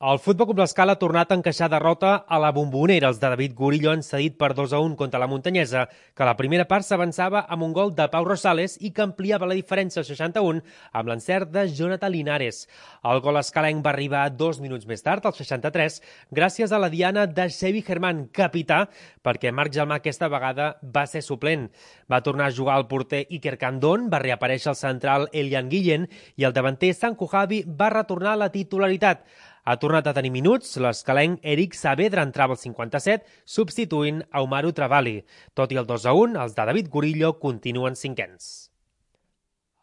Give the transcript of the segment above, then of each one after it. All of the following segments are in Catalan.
El Futbol Club l'Escala ha tornat a encaixar derrota a la Bombonera. Els de David Gurillo han cedit per 2-1 contra la Muntanyesa, que a la primera part s'avançava amb un gol de Pau Rosales i que ampliava la diferència al 61 amb l'encert de Jonathan Linares. El gol escalenc va arribar 2 minuts més tard, al 63, gràcies a la diana de Xevi Germán, capità, perquè Marc Gelmà aquesta vegada va ser suplent. Va tornar a jugar el porter Iker Candón, va reaparèixer el central Elian Guillén i el davanter Sanko Javi va retornar a la titularitat. Ha tornat a tenir minuts, l'escalenc Eric Saavedra entrava al 57, substituint a Umaru Travali. Tot i el 2-1, els de David Gurillo continuen cinquens.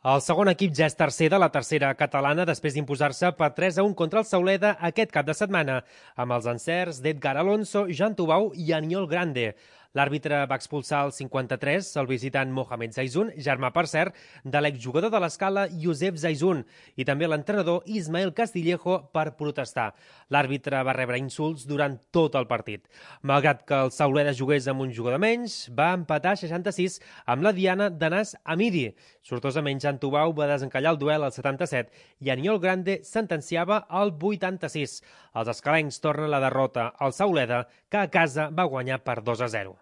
El segon equip ja és tercer de la tercera catalana després d'imposar-se per 3-1 contra el Sauleda aquest cap de setmana, amb els encerts d'Edgar Alonso, Jan Tubau i Aniol Grande. L'àrbitre va expulsar al 53 el visitant Mohamed Zaizun, germà, per cert, de l'exjugador de l'Escala Josep Zaizun, i també l'entrenador Ismael Castillejo per protestar. L'àrbitre va rebre insults durant tot el partit. Malgrat que el Sauleda jugués amb un jugador menys, va empatar 66 amb la diana d'Anas Amidi. Sortosament, Jan Tubau va desencallar el duel al 77 i Aniol Grande sentenciava al 86. Els escalencs tornen la derrota al Sauleda, que a casa va guanyar per 2-0.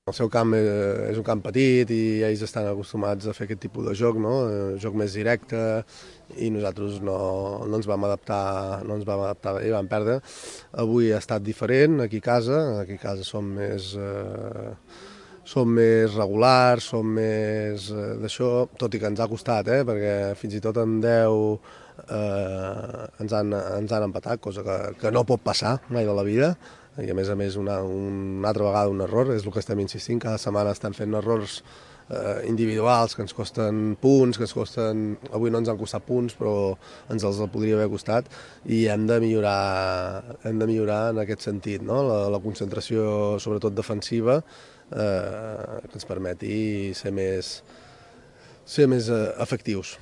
El seu camp és un camp petit i ells estan acostumats a fer aquest tipus de joc, no? Joc més directe, i nosaltres no ens vam adaptar i vam perdre. Avui ha estat diferent aquí a casa som més regulars, som més d'això, tot i que ens ha costat, perquè fins i tot en 10 ens han empatat, cosa que no pot passar mai de la vida. I a més una altra vegada un error, és el que estem insistint, cada setmana estan fent errors individuals que ens costen punts, avui no ens han costat punts, però ens els podria haver costat, i hem de millorar en aquest sentit, no? La concentració, sobretot defensiva, que ens permeti ser més efectius.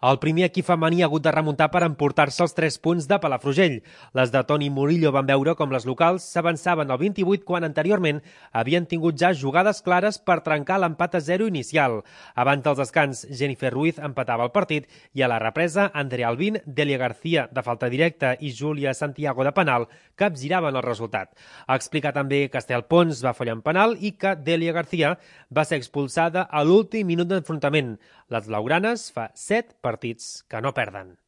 El primer equip femení ha hagut de remuntar per emportar-se els 3 punts de Palafrugell. Les de Toni Murillo van veure com les locals s'avançaven al 28 quan anteriorment havien tingut ja jugades clares per trencar l'empat a 0 inicial. Abans dels descans, Jennifer Ruiz empatava el partit i a la represa, Andrea Albín, Delia García de falta directa i Júlia Santiago de penal capgiraven el resultat. Ha explicat també que Estel Pons va fallar en penal i que Delia García va ser expulsada a l'últim minut d'enfrontament. Les blaugranes fa 7 partits que no perden.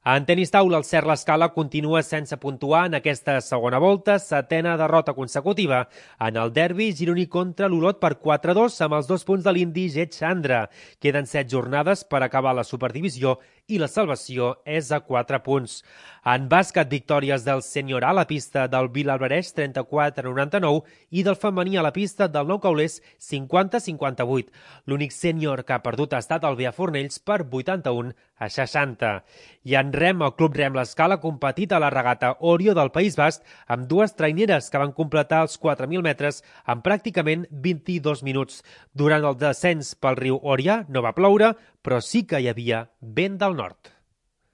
En tenis taula, el Cert l'Escala continua sense puntuar en aquesta segona volta, 7a derrota consecutiva en el derbi gironí contra l'Olot per 4-2 amb els 2 punts de l'indi Jet Chandra. Queden 7 jornades per acabar la superdivisió i la salvació és a 4 punts. En bàsquet, victòries del sènior A a la pista del Vilalbareix 34-99 i del femení a la pista del Nou Caulers 50-58. L'únic sènior que ha perdut ha estat el Bea Fornells per 81-60. I en rem, el Club Rem l'Escala ha competit a la regata Orio del País Basc amb 2 traineres que van completar els 4.000 metres en pràcticament 22 minuts. Durant el descens pel riu Oria no va ploure, però sí que hi havia vent del nord.